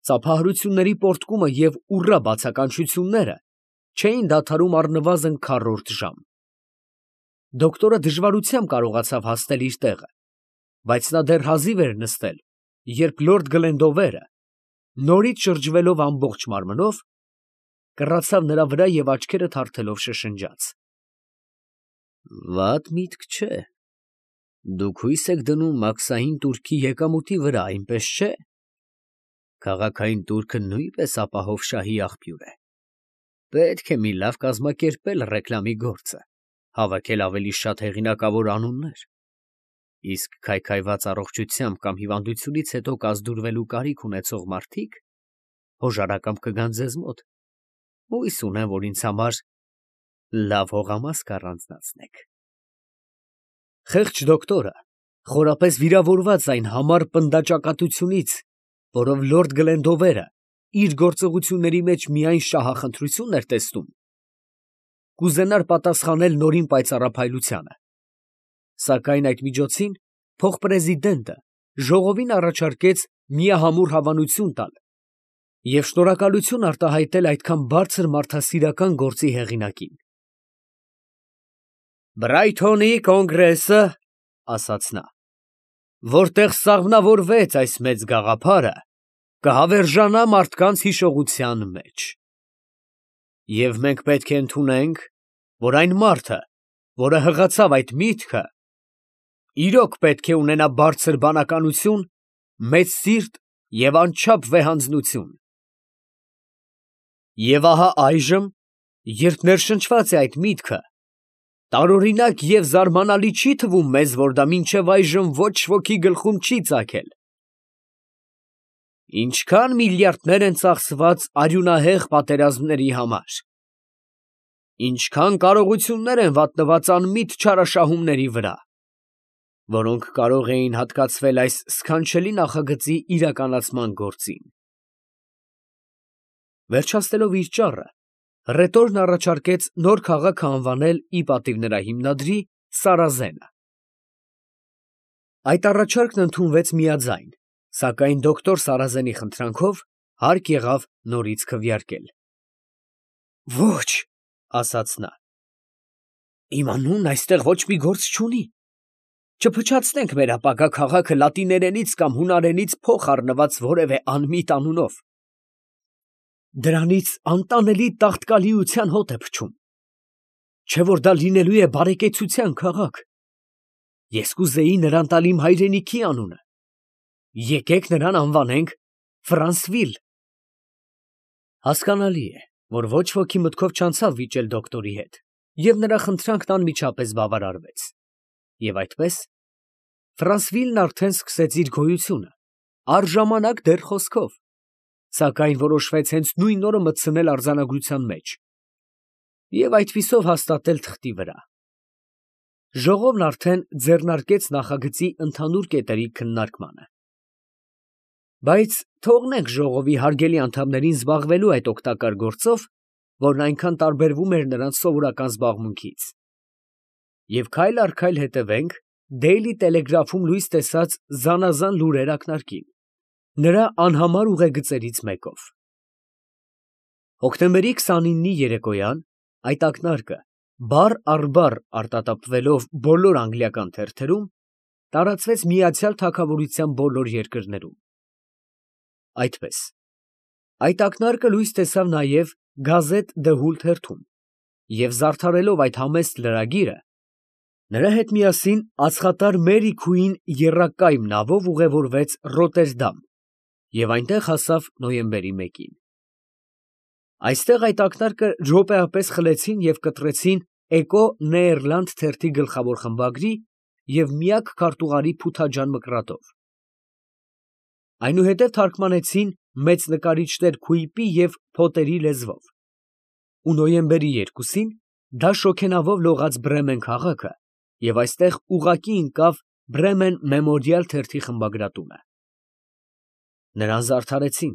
Ծափահարությունների պոռթկումը և ուռա բացականչությունները չէին դադարում առնվազն քառորդ ժամ։ Դոկտորը դժվարությամբ կարողացավ հասնել իր տեղը, բայց նա դեռ հազիվ էր նստել, երբ լորդ Գլենդովերը, նորից շրջվելով ամբողջ մարմնով, կռացավ նրա վրա և աչքերը թարթելով շշնջաց. «Վատ միտք չէ. դուք հույս եք դնում մաքսային տուրքի եկամուտի վրա, այնպես չէ՞։ Քաղաքային տուրքը նույնպես ապահով շահի աղբյուր է. պետք է մի լավ կազմակերպել ռեկլամի գործը, հավաքել ավելի շատ հեղինակավոր անուններ, իսկ քայքայված առողջությամբ կամ հիվանդությունից հետո կազդուրվելու կարիք ունեցող մարդիկ հոժարակամ կգան ձեզ մոտ, հույս ունեմ, որ ինձ համար լավ հողամաս կառանձնացնեք»։ Խեղճ դոկտորը, խորապես վիրավորված այն համառ պնդաճակատությունից, որով լորդ Գլենդովերը իր գործողությունների մեջ միայն շահախնդրություն էր տեսնում, կուզենար պատասխանել նորին պայծառափայլությանը, սակայն այդ միջոցին փոխպրեզիդենտը ժողովին առաջարկեց միահամուռ հավանություն տալ և շնորհակալություն արտահայտել այդքան բարձր մարդասիրական գործի հեղինակին։ «Բրայթոնի կոնգրեսը, ֊ ասաց նա, ֊ որտեղ սաղմնավորվեց այս մեծ գաղափարը, կհավերժանա մարդկանց հիշողության մեջ։ Եվ մենք պետք է ընդունենք, որ այն մարդը, որը հղացավ այդ միտքը, իրոք պետք է ունենա բարձր բանականություն, մեծ սիրտ և անչափ վեհանձնություն։ Եվ ահա այժմ, երբ ներշնչված է այդ միտքը, տարօրինակ և զարմանալի չի թվում մեզ, որ դա մինչև այժմ ոչ ոքի գլխում չի ծագել։ Ինչքան միլիարդներ են ծախսված արյունահեղ պատերազմների համար, ինչքան կարողություններ են վատնված անմիտ չարաշահումների վրա, որոնք կարող էին հատկացվել այս սքանչելի նախագծի իրականացման գործին։ Վերջացնելով իր ճառը, հռետորն առաջարկեց նոր քաղաքը անվանել ի պատիվ նրա հիմնադրի Սարազենը։ Այդ առաջարկն ընդունվեց միաձայն, սակայն դոկտոր Սարազենի խնդրանքով հարկ եղավ նորից քվեարկել։ «Ոչ, ֊ ասաց նա, ֊ իմ անունն այստեղ ոչ մի գործ չունի. չփչացնենք մեր ապագա քաղաքը լատիներենից կամ հունարենից փոխ առնված որևէ անմիտ անունով. դրանից անտանելի տաղտկալիության հոտ է փչում, չէ՞ որ դա լինելու է բարեկեցության քաղաք։ Ես կուզեի նրան տալ իմ հայրենիքի անունը. եկեք նրան անվանենք Ֆրանսվիլ»։ Հասկանալի է, որ ոչ ոքի մտքով չանցավ վիճել դոկտորի հետ, և նրա խնդրանքն անմիջապես բավարարվեց։ Եվ այդպես Ֆրանսվիլն արդեն սկսեց իր գոյությունը, առժամանակ դեռ խոսքով, սակայն որոշվեց հենց նույն օրը մտցնել արձանագրության մեջ և այդպիսով հաստատել թղթի վրա։ Ժողովն արդեն ձեռնարկեց նախագծի ընդհանուր կետերի քննարկմանը։ Բայց թողնենք ժողովի հարգելի անդամներին զբաղվելու այդ օգտակար գործով, որն այնքան տարբերվում էր նրանց սովորական զբաղմունքից, և քայլ առ քայլ հետևենք Դեյլի Տելեգրաֆում լույս տեսած զանազան լուրեր ակնարկին, նրա անհամար ուղեգծերից մեկով։ Հոկտեմբերի 29-ի երեկոյան այդ ակնարկը բառ առ բառ արտատապվելով բոլոր անգլիական թերթերում, տարածվեց Միացյալ Թագավորության բոլոր երկրներում։ Այդպես այդ ակնարկը լույս տեսավ նաև Գազետ դը Հուլ թերթում, և զարդարելով այդ համեստ լրագիրը, նրա հետ միասին ածխատար Մերի Քուին եռակայմ նավով ուղևորվեց Ռոտերդամ և այնտեղ հասավ նոյեմբերի 1-ին։ Այստեղ այդ ակնարկը րոպեապես խլեցին և կտրեցին Էկո Նեերլանդ թերթի գլխավոր խմբագրի և միակ քարտուղարի փութաջան մկրատով։ Այնուհետև թարգմանեցին մեծ նկարիչներ Քուիպի և Փոտերի լեզվով, ու նոյեմբերի 2-ին դա շոգենավով լողաց Բրեմեն քաղաքը և այստեղ ուղղակի ընկավ Բրեմեն Մեմորիալ թերթի խմբագրատունը։ Նրան զարդարեցին,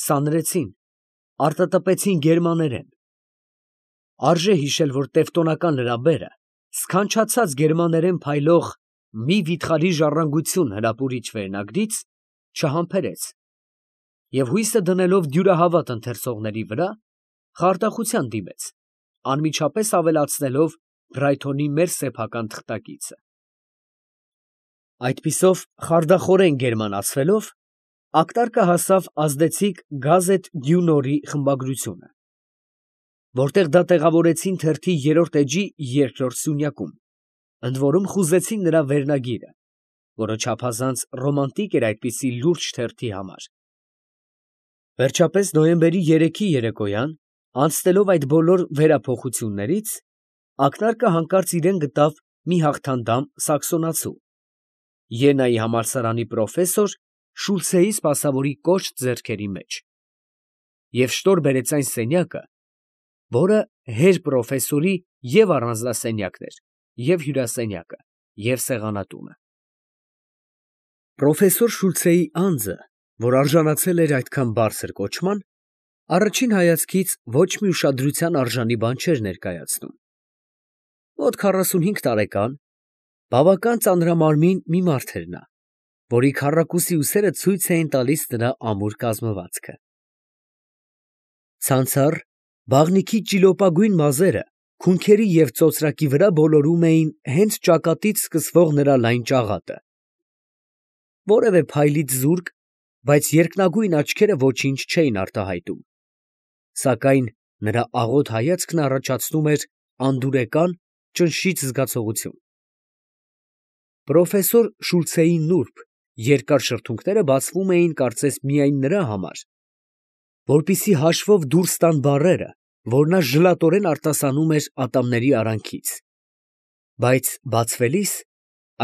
սանրեցին, արտատպեցին գերմաներեն։ Արժե հիշել, որ տևտոնական լրաբերը սքանչացած գերմաներեն փայլող մի վիթխարի ժառանգություն հրապուրիչ վերնագրից չհամբերեց Եվ հույսը դնելով դյուրահավատ ընթերցողների վրա, խարդախության դիմեց, անմիջապես ավելացնելով Բրայթոնի մեր սեփական թղթակիցը։ Այդպիսով խարդախորեն գերմանացվելով, ակտարկը հասավ ազդեցիկ Գազետ դյու Նորի խմբագրությունը, որտեղ դա տեղավորեցին թերթի երրորդ էջի երկրորդ սյունյակում, ընդ որում խուզեցին նրա վերնագիրը, որը չափազանց ռոմանտիկ էր այդպիսի լուրջ թերթի համար։ Վերջապես նոյեմբերի 3-ի երեկոյան, անցնելով այդ բոլոր վերափոխություններից, ակնարկը հանկարծ իրեն գտավ մի հաղթանդամ սաքսոնացու, Յենայի համալսարանի պրոֆեսոր Շուլցեի սպասավորի կոշտ ձեռքերի մեջ, և շտոր բերեց այն սենյակը, որը հեր պրոֆեսորի և առանձնասենյակն էր, և հյուրասենյակը, և սեղանատունը։ Պրոֆեսոր Շուլցեի անձը, որ արժանացել էր այդքան բարձր կոչման, առաջին հայացքից ոչ մի ուշադրության արժանի բան չէր ներկայացնում։ Մոտ 45 տարեկան, բավական ծանրամարմին մի մարդ էր նա, որի քառակուսի ուսերը ցույց էին տալիս նրա ամուր կազմվածքը։ Ցանցառ, բաղնիքի ճիլոպագույն մազերը քունքերի և ծոծրակի վրա բոլորում էին հենց ճակատից սկսվող նրա լայն ճաղատը։ Որևէ փայլից զուրկ, բայց երկնագույն աչքերը ոչինչ չէին արտահայտում, սակայն նրա աղոտ հայացքն առաջացնում էր անդուրեկան, ճնշիչ զգացողություն։ Պրոֆեսոր Շուլցեի նուրբ, երկար շրթունքները բացվում էին կարծես միայն նրա համար, որպեսզի հաշվով դուրս տան բառերը, որ նա ժլատորեն արտասանում էր ատամների արանքից, բայց բացվելիս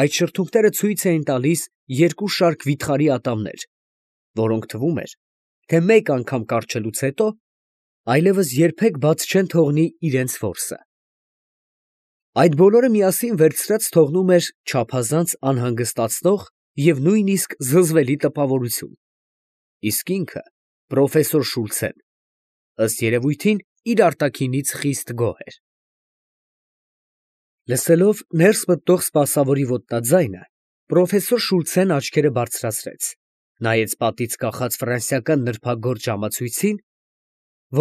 այդ շրթունքները ցույց էին տալիս երկու շարք վիթխարի ատամներ, որոնք թվում էր, թե մեկ անգամ կառչելուց հետո այլևս երբեք բաց չեն թողնի իրենց որսը։ Այդ բոլորը միասին վերցրած թողնում էր չափազանց անհանգստացնող և նույնիսկ զզվելի տպավորություն, իսկ ինքը, պրոֆեսոր Շուլցեն, ըստ երևույթին, իր արտաքինից խիստ գոհ էր։ Լսելով ներս մտնող սպասավորի ոտնաձայնը, պրոֆեսոր Շուլցեն աչքերը բարձրացրեց, նայեց պատից կախած ֆրանսիական նրբագործ ժամացույցին,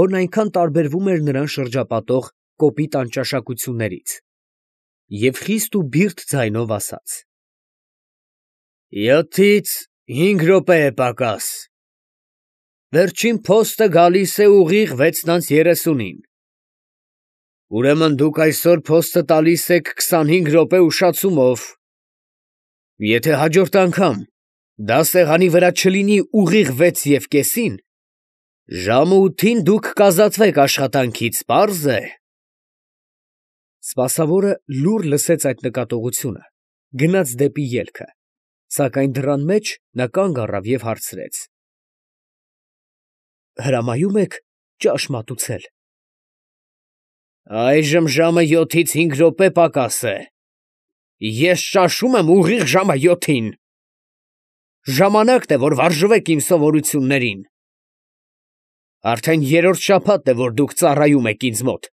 որն այնքան տարբերվում էր նրան շրջապատող կոպիտ անճաշակություններից, և խիստ ու բիրտ ձայնով ասաց. 7-ից 5 րոպե է պակաս. վերջին փոստը գալիս է ուղիղ 6:30-ին. ուրեմն դուք այսօր փոստը տալիս եք 25 րոպե ուշացումով. եթե հաջորդ անգամ դա սեղանի վրա չլինի ուղիղ 6:30, ժամը 8-ին դուք կազատվեք աշխատանքից, պարզ է։ Սպասավորը լուռ լսեց այդ նկատողությունը, գնաց դեպի ելքը, սակայն դռան մեջ նա կանգ առավ և հարցրեց. հրամայո՞ւմ եք ճաշ մատուցել։ Այժմ ժամը 7-ից 5 րոպե պակաս է։ Ես ճաշում եմ ուղիղ ժամը 7-ին։ Ժամանակն է, որ վարժվեք իմ սովորություններին։ Արդեն երրորդ շաբաթն է, որ դուք ծառայում եք ինձ մոտ։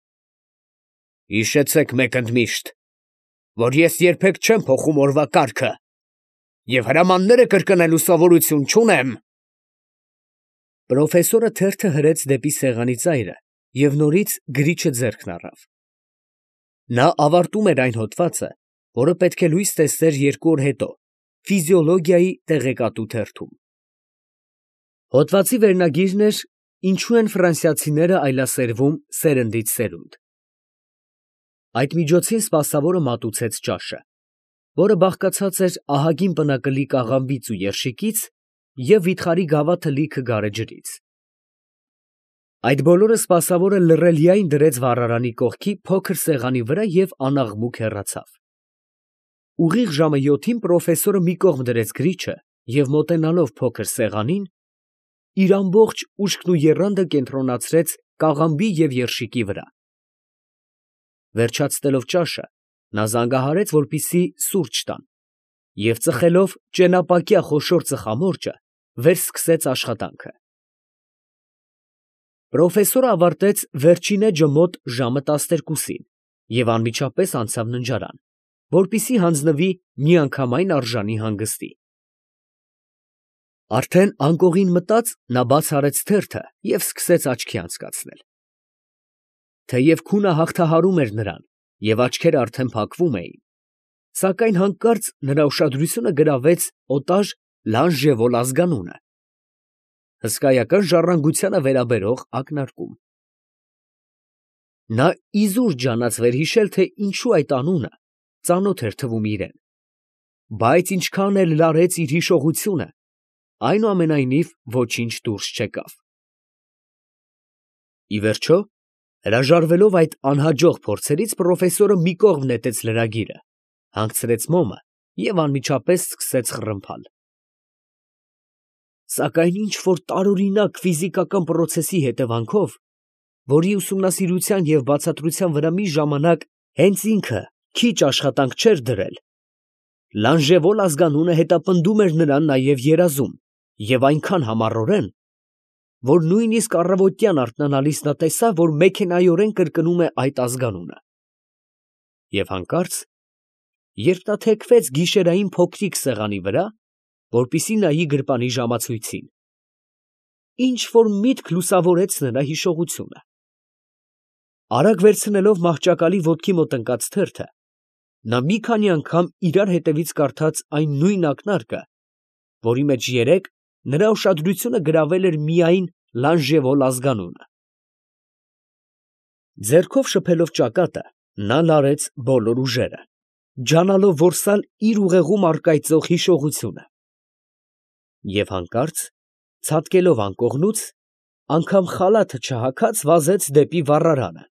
Հիշեցեք մեկ ընդմիշտ, որ ես երբեք չեմ փոխում օրվա կարգը և հրամանները կրկնելու սովորություն չունեմ։ Պրոֆեսորը թերթը հրեց դեպի սեղանի ծայրը և նորից գրիչը ձեռքն առավ։ Նա ավարտում էր այն հոդվածը, որը պետք է լույս տեսներ 2 օր հետո ֆիզիոլոգիայի տեղեկատու թերթում։ Հոդվածի վերնագիրն էր «Ինչու են ֆրանսիացիները այլասերվում սերնդից սերունդ»։ Այդ միջոցին սպասավորը մատուցեց ճաշը, որը բաղկացած էր ահագին պնակլի կաղամբից ու երշիկից և վիթխարի գավաթը լիքը գարեջրից։ Այդ բոլորը սպասավորը լռելիայն դրեց վառարանի կողքի փոքր սեղանի վրա և անաղմուկ հեռացավ։ Ուղիղ ժամը 7-ին պրոֆեսորը մի կողմ դրեց գրիչը և մոտենալով փոքր սեղանին, իր ամբողջ ուշքն ու եռանդը կենտրոնացրեց կաղամբի և երշիկի վրա։ Վերջացնելով ճաշը, նա զանգահարեց, որպեսզի սուրճ տան, և ծխելով ճենապակյա խոշոր ծխամորճը, վերսկսեց աշխատանքը։ Պրոֆեսորը ավարտեց վերջին էջը մոտ ժամը 12-ին և անմիջապես անցավ ննջարան, որպեսզի հանձնվի միանգամայն արժանի հանգստի։ Արդեն անկողին մտած նա բաց արեց թերթը և սկսեց աչքի անցկացնել։ Թեև քունը հաղթահարում էր նրան և աչքերը արդեն փակվում էին, սակայն հանկարծ նրա ուշադրությունը գրավեց օտար Լանժևոլ ազգանունը, հսկայական ժառանգությանը վերաբերող ակնարկում։ Նա իզուր ջանաց վերհիշել, թե ինչու այդ անունը ծանոթ էր թվում իրան, բայց ինչքան էլ լարեց իր հիշողությունը, այնուամենայնիվ ոչինչ դուրս չեկավ։ Ի վերջո, հրաժարվելով այդ անհաջող փորձերից, պրոֆեսորը մի կողմ նետեց լրագիրը, հանգցրեց մոմը և անմիջապես սկսեց խռմփալ։ Սակայն ինչ֊որ տարօրինակ ֆիզիկական պրոցեսի հետևանքով, որի ուսումնասիրության և բացատրության վրա մի ժամանակ հենց ինքը քիչ աշխատանք չէր դրել, Լանժևոլ ազգանունը հետապնդում էր նրան նաև երազում և այնքան համառորեն, որ նույնիսկ առավոտյան արթնանալիս նա տեսավ, որ մեքենայորեն կրկնում է այդ ազգանունը։ Եվ հանկարծ, երբ նա թեքվեց գիշերային փոքրիկ սեղանի վրա, որպեսզի նայի գրպանի ժամացույցին, ինչ֊որ միտք լուսավորեց նրա հիշողությունը։ Արագ վերցնելով մահճակալի ոտքի մոտ ընկած թերթը, նա մի քանի անգամ իրար հետևից կարդաց այն նույն ակնարկը, որի մեջ երեկ նրա ուշադրությունը գրավել էր միայն Լանժևոլ ազգանունը։ Ձեռքով շփելով ճակատը, նա լարեց բոլոր ուժերը, ջանալով որսալ իր ուղեղում առկայծող հիշողությունը։ Եվ հանկարծ, ցատկելով անկողնուց, անգամ խալաթը չհագած վազեց դեպի վառարանը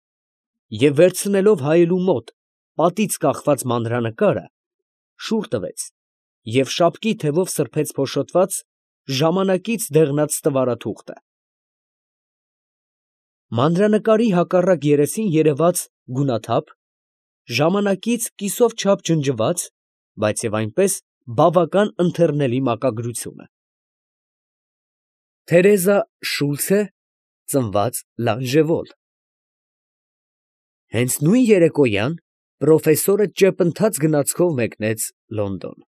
և վերցնելով հայելու մոտ պատից կախված մանրանկարը, շուռ տվեց և շապկի թևով սրբեց փոշոտված, ժամանակից դեղնած ստվարաթուղթը։ Մանրանկարի հակառակ երեսին երևաց գունաթափ, ժամանակից կիսով չափ ջնջված, բայց և այնպես բավական ընթեռնելի մակագրությունը. Թերեզա Շուլցը, ծնված Լանժևոլ։ Հենց նույն երեկոյան պրոֆեսորը ճեպընթաց գնացքով մեկնեց Լոնդոն։